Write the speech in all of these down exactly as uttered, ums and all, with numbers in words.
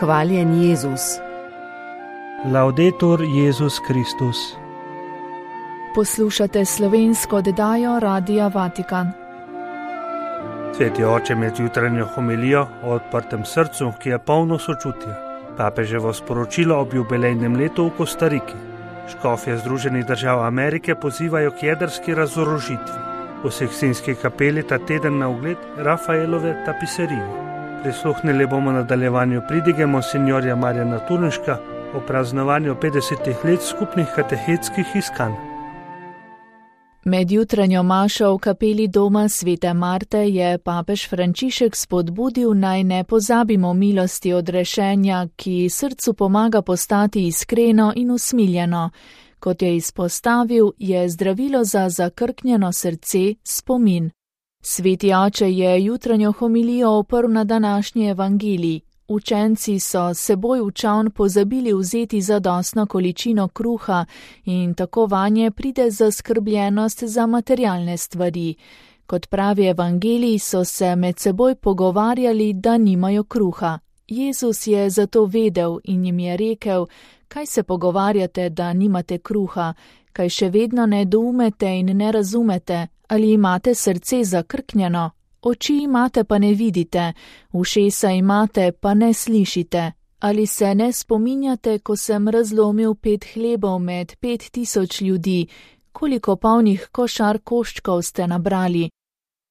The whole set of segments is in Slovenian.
Hvaljen Jezus. Laudetur Jezus Kristus. Poslušate slovensko oddajo Radia Vatikan. Sveti oče med jutranjo homilijo o odprtem srcu, ki je polno sočutja. Papeževo sporočilo ob jubilejnem letu v Kostariki. Škofje Združenih držav Amerike pozivajo k jedrski razorožitvi. V Sikstinski kapeli ta teden na ogled Rafaelove tapiserije. Prisluhnili bomo nadaljevanju pridige monsinjorja Marjana Turnška o praznovanju petdesetih let skupnih katehetskih iskanj. Med jutranjo mašo v kapeli doma svete Marte je papež Frančišek spodbudil, naj ne pozabimo milosti odrešenja, ki srcu pomaga postati iskreno in usmiljeno. Kot je izpostavil, je zdravilo za zakrknjeno srce spomin. Sveti oče je jutranjo homilijo oprl na današnji evangelij. Učenci so seboj v čavn pozabili vzeti zadostno količino kruha in tako vanje pride zaskrbljenost za materialne stvari. Kot pravi evangelij, so se med seboj pogovarjali, da nimajo kruha. Jezus je zato vedel in jim je rekel: kaj se pogovarjate, da nimate kruha, kaj še vedno ne doumete in ne razumete, ali imate srce zakrknjeno? Oči imate, pa ne vidite, ušesa imate, pa ne slišite. Ali se ne spominjate, ko sem razlomil pet hlebov med pet tisoč ljudi, koliko polnih košar koščkov ste nabrali?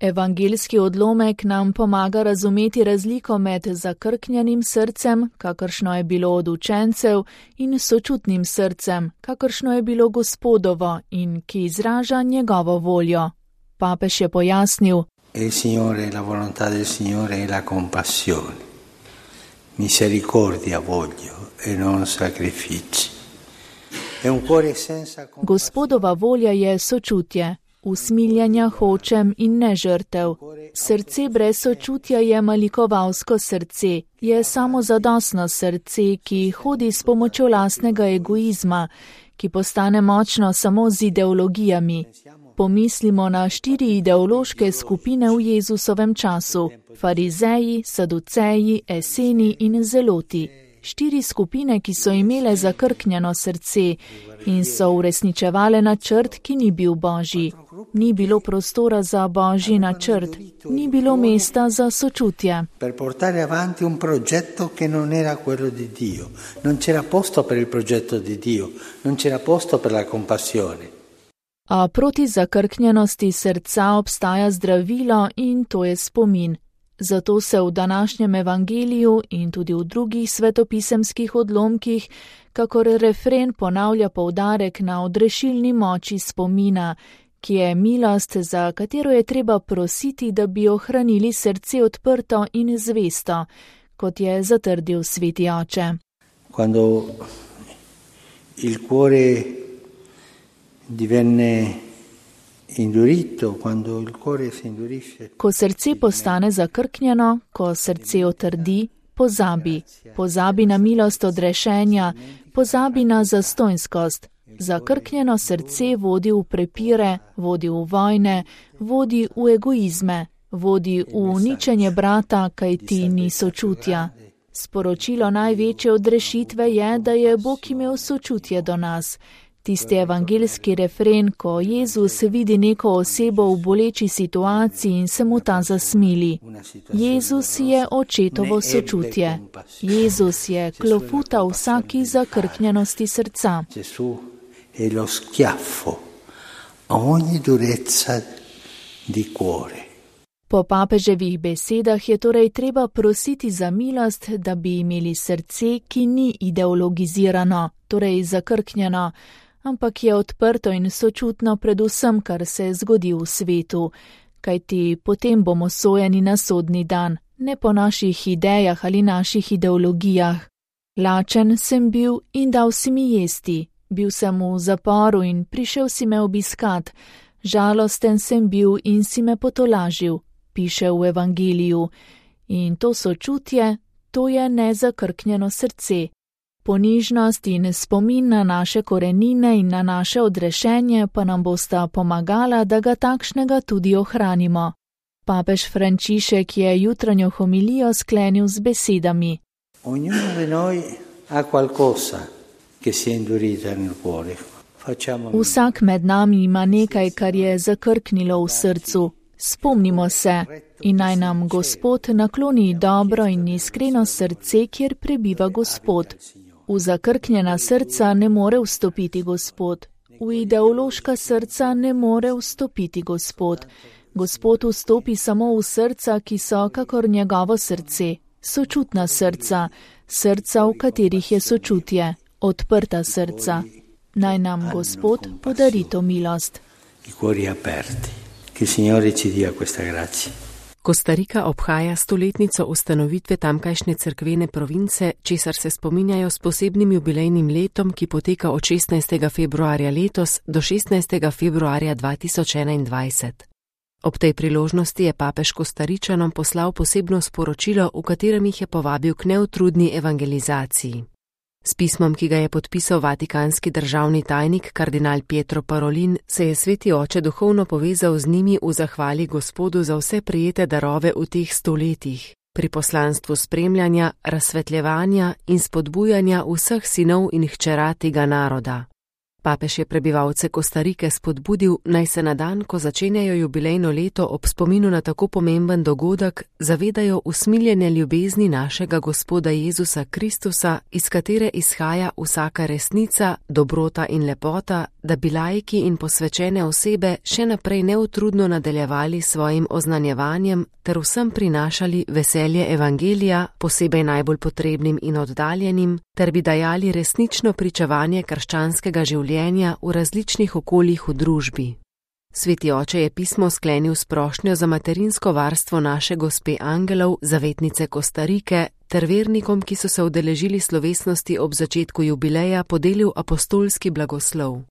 Evangeljski odlomek nam pomaga razumeti razliko med zakrknjenim srcem, kakršno je bilo od učencev, in sočutnim srcem, kakršno je bilo Gospodovo in ki izraža njegovo voljo. Papež je pojasnil: Il Signore, la volontà del Signore è la compassione. Misericordia voglio e non sacrifici. È un cuore senza compassione. Gospodova volja je sočutje. Usmiljanja hočem in ne žrtev. Srce brez sočutja je malikovalsko srce, je samozadostno srce, ki hodi s pomočjo lastnega egoizma, ki postane močno samo z ideologijami. Pomislimo na štiri ideološke skupine v Jezusovem času: farizeji, saduceji, eseni in zeloti. Štiri skupine, ki so imele zakrknjeno srce in so uresničevale načrt, ki ni bil božji. Ni bilo prostora za božji načrt, ni bilo mesta za sočutje. Per portare avanti un progetto che non era quello di Dio. Non c'era posto per il progetto di Dio, non c'era posto per la compassione. A proti zakrknjenosti srca obstaja zdravilo in to je spomin. Zato se v današnjem evangeliju in tudi v drugih svetopisemskih odlomkih kakor refren ponavlja poudarek na odrešilni moči spomina, ki je milost, za katero je treba prositi, da bi ohranili srce odprto in zvesto, kot je zatrdil sveti oče. Quando il cuore divenne indurito, quando il cuore si indurisce. Ko srce postane zakrknjeno, ko srce otrdi, pozabi. Pozabi na milost odrešenja, pozabi na zastonjskost. Zakrknjeno srce vodi v prepire, vodi v vojne, vodi v egoizme, vodi v uničenje brata, kaj ti ni sočutja. Sporočilo največje odrešitve je, da je Bog imel sočutje do nas. Tisti evangeljski refren, ko Jezus vidi neko osebo v boleči situaciji in se mu ta zasmili. Jezus je očetovo sočutje. Jezus je klofuta vsaki zakrknjenosti srca. Gesù è lo schiaffo a ogni durezza di cuore. Po papeževih besedah je torej treba prositi za milost, da bi imeli srce, ki ni ideologizirano, torej zakrknjeno, ampak je odprto in sočutno predvsem, kar se zgodi v svetu, kajti potem bomo sojeni na sodni dan, ne po naših idejah ali naših ideologijah. Lačen sem bil in dal si mi jesti, bil sem v zaporu in prišel si me obiskat, žalosten sem bil in si me potolažil, piše v evangeliju. In to sočutje, to je nezakrknjeno srce. Ponižnost in spomin na naše korenine in na naše odrešenje pa nam bosta pomagala, da ga takšnega tudi ohranimo. Papež Frančišek je jutranjo homilijo sklenil z besedami: Ognuno di noi ha qualcosa che si è indurito nel cuore. Vsak med nami ima nekaj, kar je zakrknilo v srcu. Spomnimo se in naj nam Gospod nakloni dobro in iskreno srce, kjer prebiva Gospod. V zakrknjena srca ne more vstopiti Gospod. V ideološka srca ne more vstopiti Gospod. Gospod vstopi samo v srca, ki so kakor njegovo srce, sočutna srca, srca, v katerih je sočutje, odprta srca. Naj nam Gospod podari to milost. Kostarika obhaja stoletnico ustanovitve tamkajšnje cerkvene province, česar se spominjajo s posebnim jubilejnim letom, ki poteka od šestnajstega februarja letos do šestnajstega februarja dva tisoč enaindvajset. Ob tej priložnosti je papež Kostaričanom poslal posebno sporočilo, v katerem jih je povabil k neutrudni evangelizaciji. S pismom, ki ga je podpisal vatikanski državni tajnik kardinal Pietro Parolin, se je sveti oče duhovno povezal z njimi v zahvali Gospodu za vse prejete darove v teh stoletjih, pri poslanstvu spremljanja, razsvetljevanja in spodbujanja vseh sinov in hčera tega naroda. Papež je prebivalce Kostarike spodbudil, naj se na dan, ko začenjajo jubilejno leto ob spominu na tako pomemben dogodek, zavedajo usmiljene ljubezni našega Gospoda Jezusa Kristusa, iz katere izhaja vsaka resnica, dobrota in lepota, da bi laiki in posvečene osebe še naprej neutrudno nadaljevali svojim oznanjevanjem ter vsem prinašali veselje evangelija, posebej najbolj potrebnim in oddaljenim, ter bi dajali resnično pričevanje krščanskega življenja v različnih okoljih v družbi. Sveti oče je pismo sklenil s prošnjo za materinsko varstvo naše gospe angelov, zavetnice Kostarike, ter vernikom, ki so se udeležili slovesnosti ob začetku jubileja, podelil apostolski blagoslov.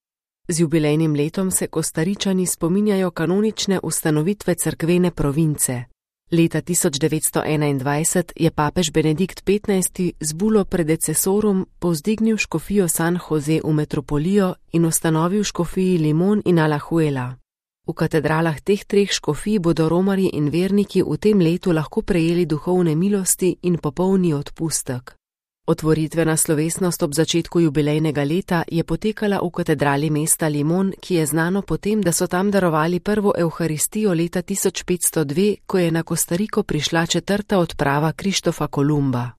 Z jubilejnim letom se Kostaričani spominjajo kanonične ustanovitve cerkvene province. Leta tisoč devetsto enaindvajset je papež Benedikt petnajsti z bulo predecesorum povzdignil škofijo San Jose v metropolijo in ustanovil škofiji Limón in Alajuela. V katedralah teh treh škofij bodo romarji in verniki v tem letu lahko prejeli duhovne milosti in popolni odpustek. Otvoritvena slovesnost ob začetku jubilejnega leta je potekala v katedrali mesta Limón, ki je znano potem, da so tam darovali prvo evharistijo leta tisoč petsto dve, ko je na Kostariko prišla četrta odprava Krištofa Kolumba.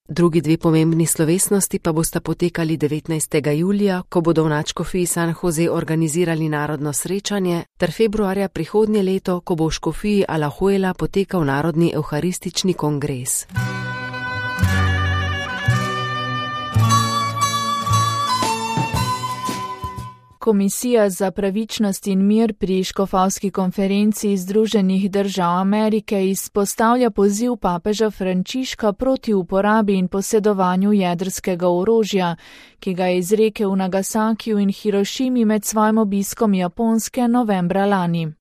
Drugi dve pomembni slovesnosti pa bosta potekali devetnajstega julija, ko bodo v nadškofiji San Jose organizirali narodno srečanje, ter februarja prihodnje leto, ko bo v škofiji Alajuela potekal narodni evharistični kongres. Komisija za pravičnost in mir pri škofovski konferenci Združenih držav Amerike izpostavlja poziv papeža Frančiška proti uporabi in posedovanju jedrskega orožja, ki ga je izrekel v Nagasakiju in Hirošimi med svojim obiskom Japonske novembra lani.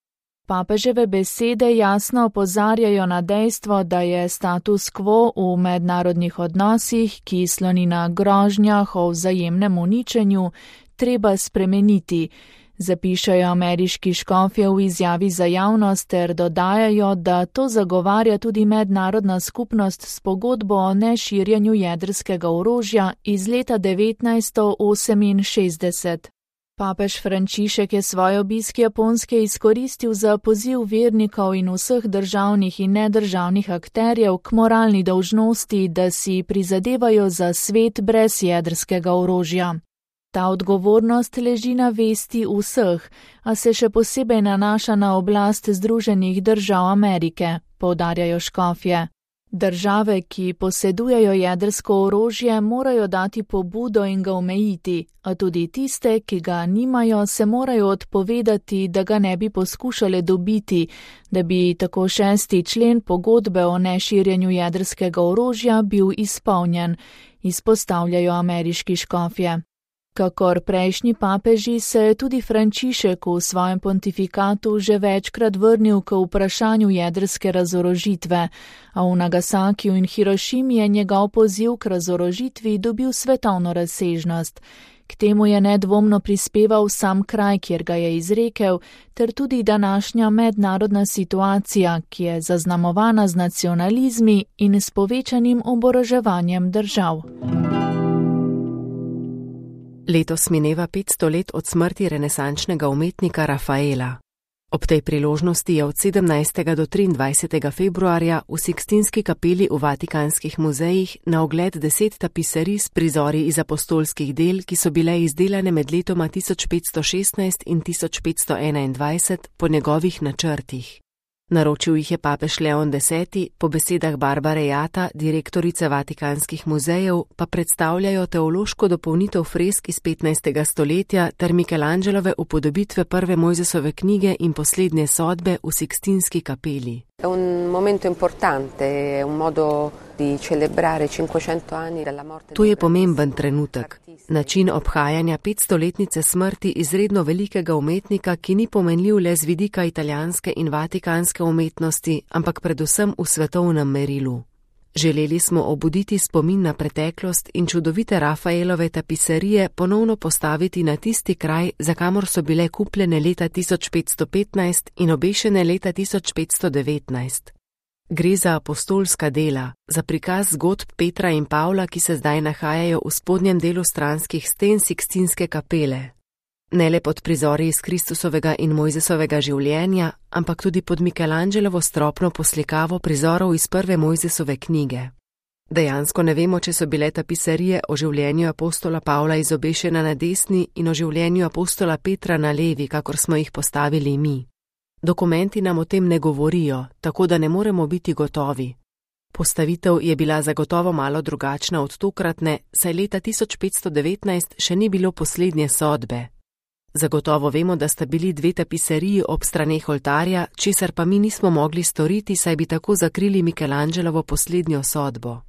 Papeževe besede jasno opozarjajo na dejstvo, da je status quo v mednarodnih odnosih, ki sloni na grožnjah o vzajemnem uničenju, treba spremeniti, zapišajo ameriški škofje v izjavi za javnost ter dodajajo, da to zagovarja tudi mednarodna skupnost s pogodbo o neširjenju jedrskega orožja iz leta devetnajststo oseminšestdeset. Papež Frančišek je svoj obisk Japonske izkoristil za poziv vernikov in vseh državnih in nedržavnih akterjev k moralni dolžnosti, da si prizadevajo za svet brez jedrskega orožja. Ta odgovornost leži na vesti vseh, a se še posebej nanaša na oblast Združenih držav Amerike, poudarjajo škofje. Države, ki posedujejo jedrsko orožje, morajo dati pobudo in ga omejiti, a tudi tiste, ki ga nimajo, se morajo odpovedati, da ga ne bi poskušale dobiti, da bi tako šesti člen pogodbe o neširjenju jedrskega orožja bil izpolnjen, izpostavljajo ameriški škofje. Kakor prejšnji papeži se je tudi Frančišek v svojem pontifikatu že večkrat vrnil k vprašanju jedrske razorožitve, a v Nagasakiju in Hirošimi je njegov poziv k razorožitvi dobil svetovno razsežnost. K temu je nedvomno prispeval sam kraj, kjer ga je izrekel, ter tudi današnja mednarodna situacija, ki je zaznamovana z nacionalizmi in s povečanim oboroževanjem držav. Letos mineva petsto let od smrti renesančnega umetnika Rafaela. Ob tej priložnosti je od sedemnajstega do triindvajsetega februarja v Sikstinski kapeli v Vatikanskih muzejih na ogled deset tapiserij s prizori iz apostolskih del, ki so bile izdelane med letoma tisoč petsto šestnajst in tisoč petsto enaindvajset po njegovih načrtih. Naročil jih je papež Leon deseti, po besedah Barbare Jata, direktorice Vatikanskih muzejev, pa predstavljajo teološko dopolnitev fresk iz petnajstega stoletja ter Michelangelove upodobitve prve Mojzesove knjige in poslednje sodbe v Sikstinski kapeli. È un momento importante, è un modo di celebrare cinquecento anni dalla morte. To je pomemben trenutek. Način obhajanja petstoletnice smrti izredno velikega umetnika, ki ni pomenljiv le z vidika italijanske in vatikanske umetnosti, ampak predvsem v svetovnem merilu. Želeli smo obuditi spomin na preteklost in čudovite Rafaelove tapiserije ponovno postaviti na tisti kraj, za kamor so bile kupljene leta tisoč petsto petnajst in obešene leta tisoč petsto devetnajst. Gre za apostolska dela, za prikaz zgodb Petra in Pavla, ki se zdaj nahajajo v spodnjem delu stranskih sten Sikstinske kapele. Ne le pod prizori iz Kristusovega in Mojzesovega življenja, ampak tudi pod Michelangelovo stropno poslikavo prizorov iz prve Mojzesove knjige. Dejansko ne vemo, če so bile tapiserije o življenju apostola Pavla izobešena na desni in o življenju apostola Petra na levi, kakor smo jih postavili mi. Dokumenti nam o tem ne govorijo, tako da ne moremo biti gotovi. Postavitev je bila zagotovo malo drugačna od tokratne, saj leta tisoč petsto devetnajst še ni bilo poslednje sodbe. Zagotovo vemo, da sta bili dve tapiseriji ob straneh oltarja, česar pa mi nismo mogli storiti, saj bi tako zakrili Michelangelovo poslednjo sodbo.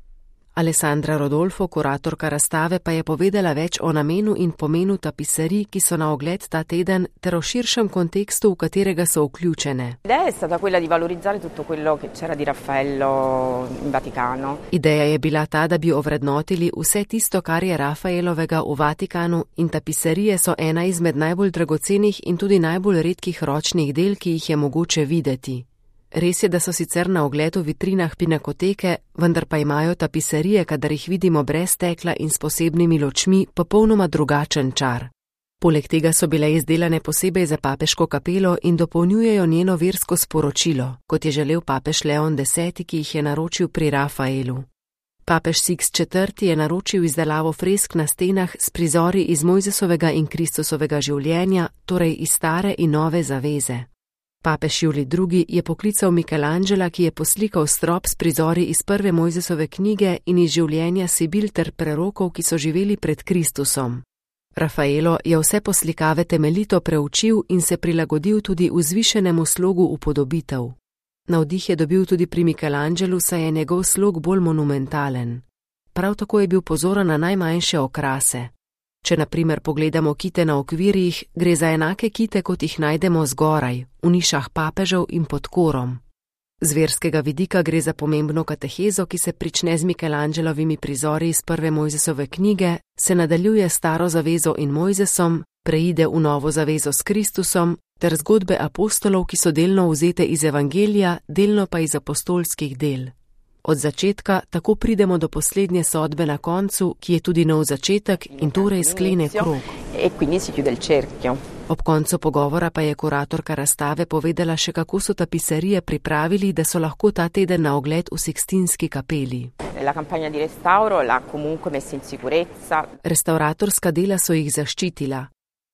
Alessandra Rodolfo, kuratorka razstave, pa je povedala več o namenu in pomenu tapiserij, ki so na ogled ta teden, ter o širšem kontekstu, v katerega so vključene. L'idea è stata quella di valorizzare tutto quello che c'era di Raffaello in Vaticano. Ideja je bila ta, da bi ovrednotili vse tisto, kar je Rafaelovega v Vatikanu, in tapiserije so ena izmed najbolj dragocenih in tudi najbolj redkih ročnih del, ki jih je mogoče videti. Res je, da so sicer na ogled v vitrinah pinakoteke, vendar pa imajo tapiserije, kadar jih vidimo brez stekla in s posebnimi ločmi, popolnoma drugačen čar. Poleg tega so bile izdelane posebej za papeško kapelo in dopolnjujejo njeno versko sporočilo, kot je želel papež Leon deseti, ki jih je naročil pri Rafaelu. Papež Siks četrti je naročil izdelavo fresk na stenah s prizori iz Mojzesovega in Kristusovega življenja, torej iz stare in nove zaveze. Papež Julij drugi je poklical Michelangela, ki je poslikal strop s prizori iz prve Mojzesove knjige in iz življenja Sibil ter prerokov, ki so živeli pred Kristusom. Rafaelo je vse poslikave temeljito preučil in se prilagodil tudi vzvišenemu slogu upodobitev. Navdih je dobil tudi pri Michelangelu, saj je njegov slog bolj monumentalen. Prav tako je bil pozoren na najmanjše okrase. Če na primer pogledamo kite na okvirjih, gre za enake kite, kot jih najdemo zgoraj, v nišah papežev in pod korom. Z verskega vidika gre za pomembno katehezo, ki se prične z Michelangelovimi prizori iz prve Mojzesove knjige, se nadaljuje s staro zavezo in Mojzesom, preide v novo zavezo s Kristusom, ter zgodbe apostolov, ki so delno vzete iz evangelija, delno pa iz apostolskih del. Od začetka tako pridemo do poslednje sodbe na koncu, ki je tudi nov začetek in torej sklene krog. Ob koncu pogovora pa je kuratorka razstave povedala še, kako so tapiserije pripravili, da so lahko ta teden na ogled v Sikstinski kapeli. Restauratorska dela so jih zaščitila.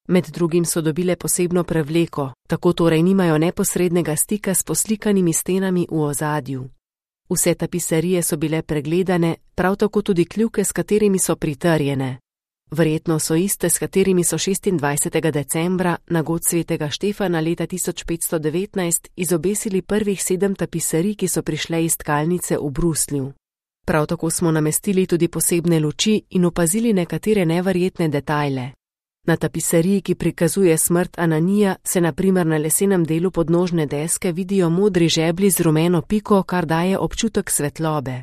Med drugim so dobile posebno prevleko, tako torej nimajo neposrednega stika s poslikanimi stenami v ozadju. Vse tapiserije so bile pregledane, prav tako tudi kljuke, s katerimi so pritrjene. Verjetno so iste, s katerimi so šestindvajsetega decembra na god svetega Štefana leta tisoč petsto devetnajst izobesili prvih sedem tapiserij, ki so prišle iz tkalnice v Bruslju. Prav tako smo namestili tudi posebne luči in opazili nekatere neverjetne detajle. Na tapiseriji, ki prikazuje smrt Ananija, se na primer na lesenem delu podnožne deske vidijo modri žeblji z rumeno piko, kar daje občutek svetlobe.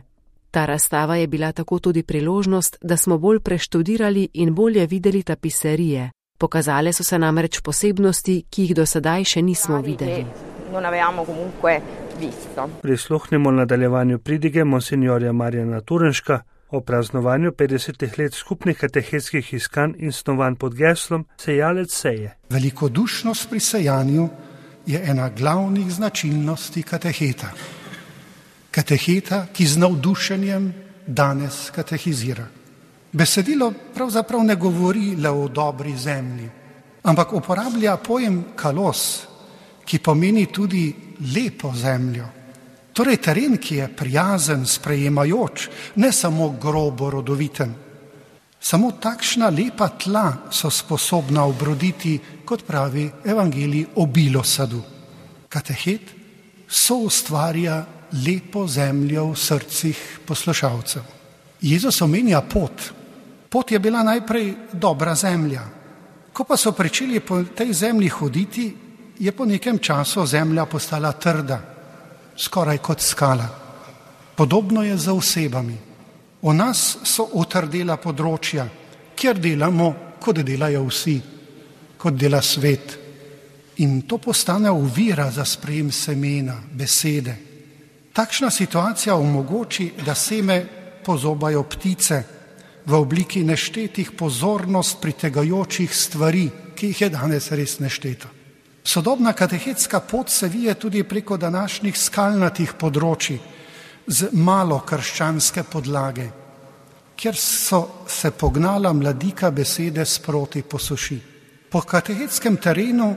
Ta razstava je bila tako tudi priložnost, da smo bolj preštudirali in bolje videli tapiserije. Pokazale so se namreč posebnosti, ki jih do sedaj še nismo videli. Prisluhnimo nadaljevanju pridige monsinjorja Marjana Turenška o praznovanju petdesetih let skupnih katehetskih iskanj in snovanj pod geslom Sejalec seje. Velikodušnost pri sejanju je ena glavnih značilnosti kateheta. Kateheta, ki z navdušenjem danes katehizira. Besedilo pravzaprav ne govori le o dobri zemlji, ampak uporablja pojem kalos, ki pomeni tudi lepo zemljo. Torej teren, ki je prijazen, sprejemajoč, ne samo grobo rodoviten. Samo takšna lepa tla so sposobna obroditi, kot pravi evangelij, obilo sadu. Katehet soustvarja lepo zemljo v srcih poslušalcev. Jezus omenja pot. Pot je bila najprej dobra zemlja. Ko pa so pričeli po tej zemlji hoditi, je po nekem času zemlja postala trda, skoraj kot skala. Podobno je za osebami. O nas so utrdela področja, kjer delamo, kot delajo vsi, kot dela svet. In to postane ovira za sprejem semena, besede. Takšna situacija omogoči, da seme pozobajo ptice v obliki neštetih pozornost pritegajočih stvari, ki jih je danes res nešteto. Sodobna katehetska pot se vije tudi preko današnjih skalnatih področij z malo krščanske podlage, kjer so se pognala mladika besede sproti posuši. Po katehetskem terenu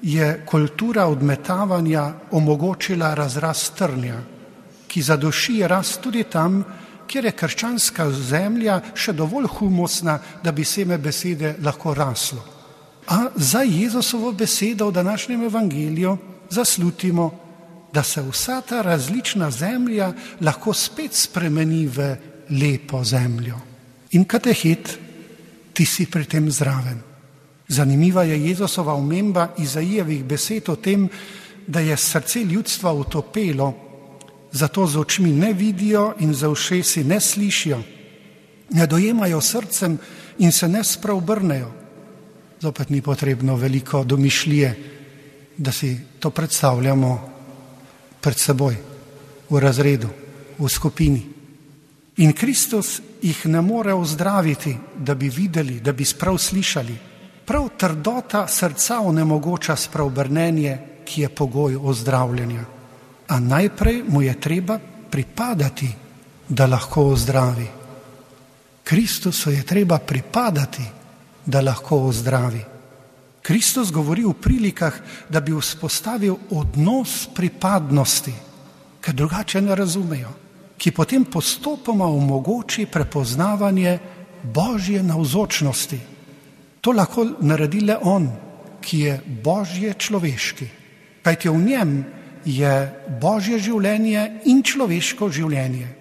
je kultura odmetavanja omogočila razrast trnja, ki zaduši rast tudi tam, kjer je krščanska zemlja še dovolj humusna, da bi seme besede lahko raslo. A za Jezusovo besedo v današnjem evangeliju zaslutimo, da se vsa ta različna zemlja lahko spet spremeni v lepo zemljo. In katehet, ti si pri tem zraven. Zanimiva je Jezusova omemba Izaijevih besed o tem, da je srce ljudstva utopelo, zato z očmi ne vidijo in za ušesi ne slišijo, ne dojemajo srcem in se ne spreobrnejo. Zopet ni potrebno veliko domišljije, da si to predstavljamo pred seboj, v razredu, v skupini. In Kristus jih ne more ozdraviti, da bi videli, da bi sprav slišali. Prav trdota srca onemogoča spreobrnenje, ki je pogoj ozdravljenja. A najprej mu je treba pripadati, da lahko ozdravi. Kristusu je treba pripadati, da lahko ozdravi. Kristus govori v prilikah, da bi vzpostavil odnos pripadnosti, ker drugače ne razumejo, ki potem postopoma omogoči prepoznavanje Božje navzočnosti. To lahko naredi le on, ki je Božje človeški, kajti v njem je Božje življenje in človeško življenje.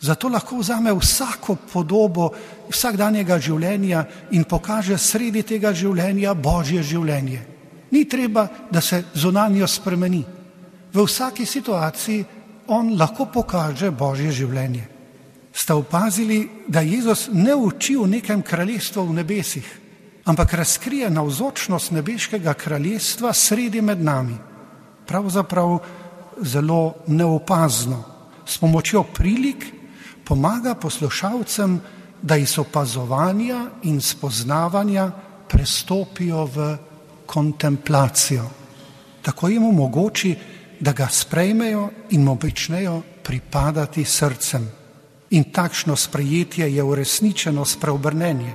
Zato lahko vzame vsako podobo vsakdanjega življenja in pokaže sredi tega življenja Božje življenje. Ni treba, da se zunanjo spremeni. V vsaki situaciji on lahko pokaže Božje življenje. Ste opazili, da Jezus ne uči v nekem kraljestvu v nebesih, ampak razkrije navzočnost nebeškega kraljestva sredi med nami. Pravzaprav zelo neopazno. S pomočjo prilik pomaga poslušalcem, da iz opazovanja in spoznavanja prestopijo v kontemplacijo. Tako jim omogoči, da ga sprejmejo in mu pričnejo pripadati srcem. In takšno sprejetje je uresničeno spreobrnenje.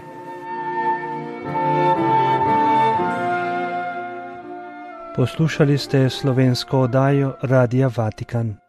Poslušali ste slovensko oddajo Radia Vatikan.